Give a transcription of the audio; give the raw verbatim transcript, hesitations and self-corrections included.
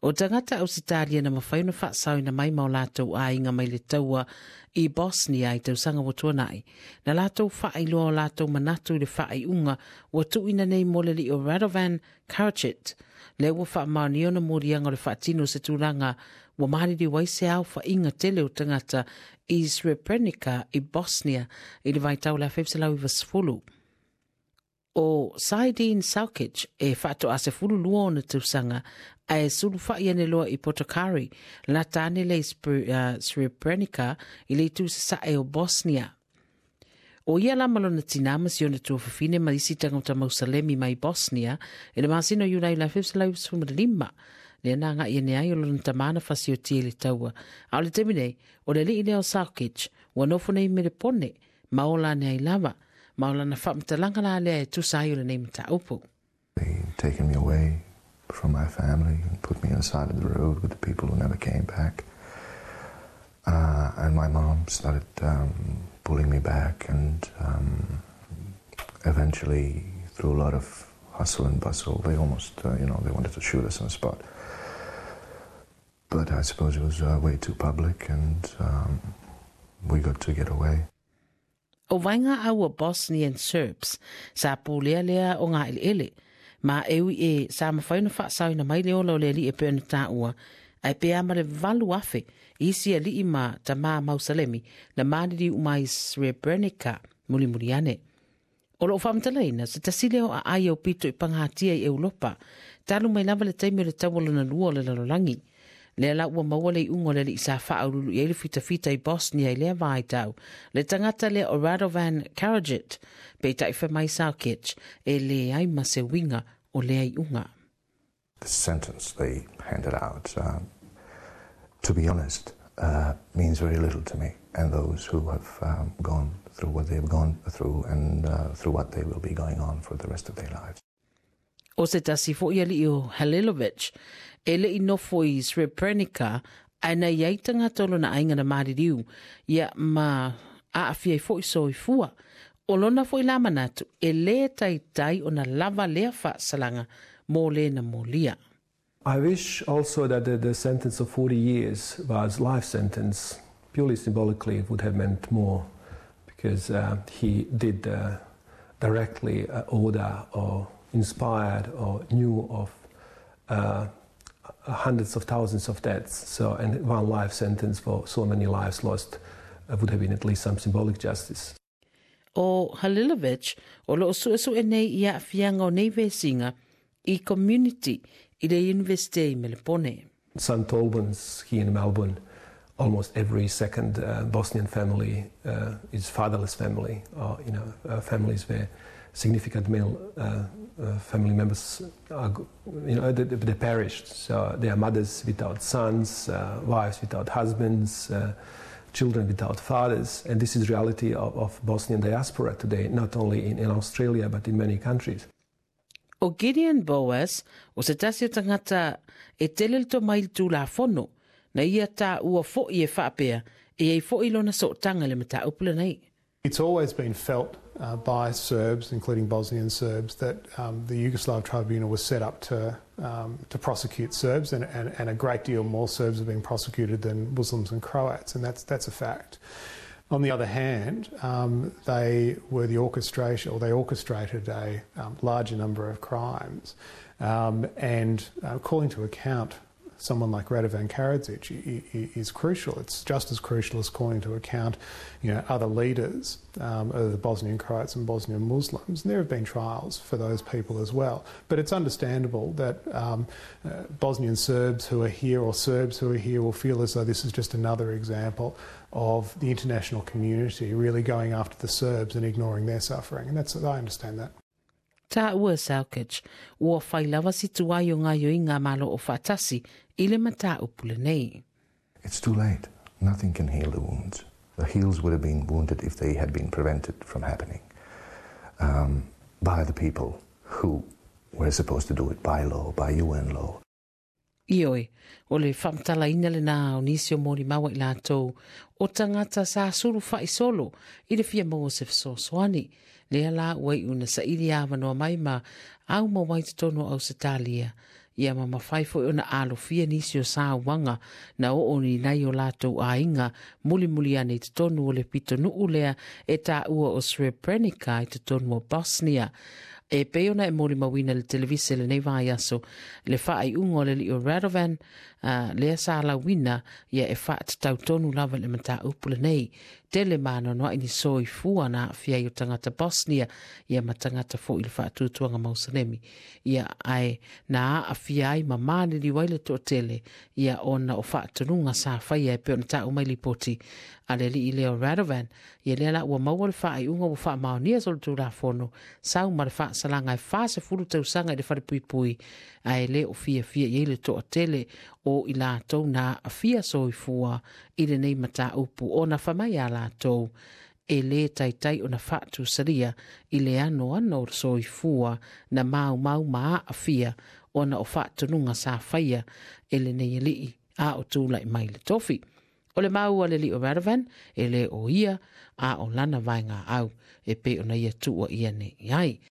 O tagata Ausetalia na mafai ona faasaoina mai ma o latou aiga mai le taua i Bosnia i tausaga ua tuanai. Na latou faailoa o latou manatu i le faaiuga ua tuuina nei mo le alii o Radovan Karadzic. Lea ua faamaonia ona moliaga o le faatino o se tulaga ua maliliu ai se aofaiga tele o tagata i Srebrenica i Bosnia i le vaitau o le afe iva selau iva sefulu. O Saidin Salkic e faatoa sefulu lua ona tausaga ae sulufai ane loa i Potocari, lata ane le Srebrenica i le itu sasae o Bosnia. O ia la ma lona tinā ma si ona tuafafine ma isi tagata Mausalemi mai Bosnia i le masina o Iulai le afe iva selau lima. Lea na agai ane ai o lona tamā na fasiotia i le taua. A o le taimi nei, o le alii lea o Salkic ua nofo nei Melepone ma ola ane ai lava. Ma o lana faamatalaga la lea e tusa ai o lenei mataupu. They taken me away from my family and put me on the side of the road with the people who never came back. Uh, and my mom started um, pulling me back, and um, eventually, through a lot of hustle and bustle, they almost, uh, you know, they wanted to shoot us on the spot. But I suppose it was uh, way too public, and um, we got to get away. O vaega au o Bosnian Serbs sa pulea lea o ngā eleele. Ma e ui e sa mafai ona faasaoina mai le ola o le alii e pei ona taua, ae pe a ma le valu afe isi alii ma tamā Mausalemi na maliliu uma i Srebrenica mulimuli ane. O loo faamatalaina se tasi lea o aai aupito i pagatia i Europa, talu mai lava le taimi o le taua lona lua o le lalolagi. Lea la ua maua le iuga o le alii sa faaululu i ai le fitafita i Bosnia i lea vaitau. Le tagata lea o Radovan Karadzic, peitai fai mai Salkic, e leai ma se uiga o lea iuga. The sentence they handed out, uh, to be honest, uh, means very little to me and those who have um, gone through what they've gone through and uh, through what they will be going on for the rest of their lives. O se tasi foi alii o Halilovic, e lei nofo i Srebrenica, ae na i ai tagata o lona aiga na maliliu, ia ma aafia ai foi soifua. O lona foi la manatu, e le taitai ona lava lea faasalaga mo le na molia. I wish also that the, the sentence of forty years was life sentence. Purely symbolically, it would have meant more, because uh, he did uh, directly uh, order or inspired or knew of uh, hundreds of thousands of deaths. So, and one life sentence for so many lives lost uh, would have been at least some symbolic justice. O Halilovic, o loo suesue nei i aafiaga o nei vesiga i community i le University i Melepone. Saint Albans here in Melbourne, almost every second uh, Bosnian family uh, is fatherless family, or you know, uh, families where significant male uh, uh, family members are, you know, they, they perished. So they are mothers without sons, uh, wives without husbands, uh, children without fathers, and this is reality of, of Bosnian diaspora today, not only in, in Australia but in many countries. O Gideon Boas, o se tasi o tagata e tele le tomai i le tulafono, na ia taua foi e faapea, e i ai foi lona sootaga i le mataupu lenei. It's always been felt uh, by Serbs, including Bosnian Serbs, that um, the Yugoslav tribunal was set up to, um, to prosecute Serbs, and, and, and a great deal more Serbs have been prosecuted than Muslims and Croats, and that's, that's a fact. On the other hand, um, they were the orchestration, or they orchestrated a um, larger number of crimes, um, and uh, calling to account someone like Radovan Karadzic is crucial. It's just as crucial as calling to account, you know, other leaders um, of the Bosnian Croats and Bosnian Muslims. And there have been trials for those people as well. But it's understandable that um, uh, Bosnian Serbs who are here or Serbs who are here will feel as though this is just another example of the international community really going after the Serbs and ignoring their suffering. And that's, I understand that. Taua Salkic, ua fai lava si tuai o gaoioiga a Malo Aofaatasi i le mataupu lenei. It's too late. Nothing can heal the wounds. The heals would have been wounded if they had been prevented from happening um, by the people who were supposed to do it by law, by U N law. Ioe, o le faamatalaina lenā o nisi o molimau a i latou o tagata sa sulufa'i solo i le fia maua se fesoasoani. Lea la ua iu na saili avanoa mai ma au ma ai totonu o Ausetalia. Ia ma mafai fo'i ona alofia nisi o sauaga na oo ni nai o latou aiga mulimuli ane i totonu o le pitonuu lea e taua o Srebrenica i totonu o Bosnia. E pei ona e molimauina le televise lenei vaiaso le faaiuga o le alii o Radovan, uh, lea sa lauina ia e faatatau tonu lava i le mataupu lenei. Tele maanoanoa'i ni soifua na aafia ai o tagata Bosnia ia ma tagata fo'i le faatuatuaga mausalemi ia ae na aafia ai ma maliliu ai le toatele ia ona o faatonuga sa faia e pei ona taʻu mai lipoti a le alii lea o Radovan. Ia lea la ua maua le faaiuga ua faamaonia solitulafono sau ma le faasalaga e fasefulu tausaga i le falepuipui, ae lē o fiafia i ai le toatele o i latou na aafia soifua i lenei mataupu ona famai a latou e lē taitai ona faatusalia i le anoano o le soifua na maumau ma aafia ona o faatonuga sa faia e lenei alii a o tula'i mai le tofi. O le maua le alii o Radovan e lē o ia a o lana vaegaau e pei ona ia tuua ia nei ai.